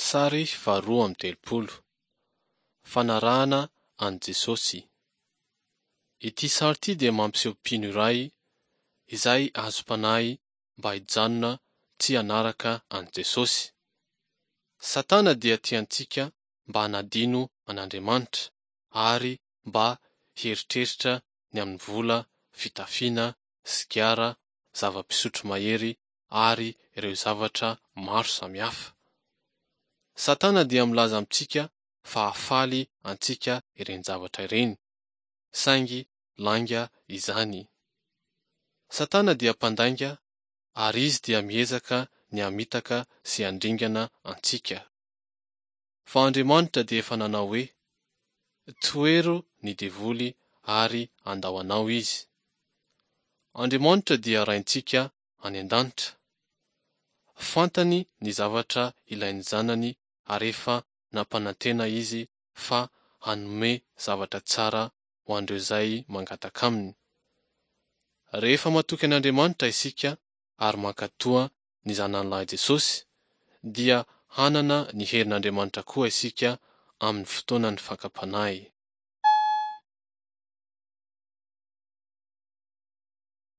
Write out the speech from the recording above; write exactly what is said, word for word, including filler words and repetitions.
Sary faharoa amby telopolo. Fanarahana an'i Jesosy. Ity sary ity dia mampiseho mpino iray izay azom-panahy mba hijanona tsy hanaraka an'i Jesosy. Satana dia tia antsika mba hanadino an'Andriamanitra ary mba hieritreritra ny amin'ny vola, fitafiana, sigara, zava-pisotro mahery ary ireo zavatra maro samihafa. Satana dia milaza amintsika fa hahafaly antsika ireny zavatra ireny, saingy lainga izany. Satana dia mpandainga ary izy dia miezaka ny hamitaka sy handringana antsika. Fa Andriamanitra dia efa nanao hoe, Tohero ny devoly ary handao anao izy. Andriamanitra dia Raintsika any an-danitra. Fantany ny zavatra ilain'ny zanany ary efa nampanantena izy fa hanome zavatra tsara ho an'ireo izay mangataka aminy. Rehefa matoky an'Andriamanitra isika ary mankatoa ny Zanany Lahy Jesosy, dia hanana ny herin'Andriamanitra koa isika amin'ny fotoanan'ny fakam-panahy.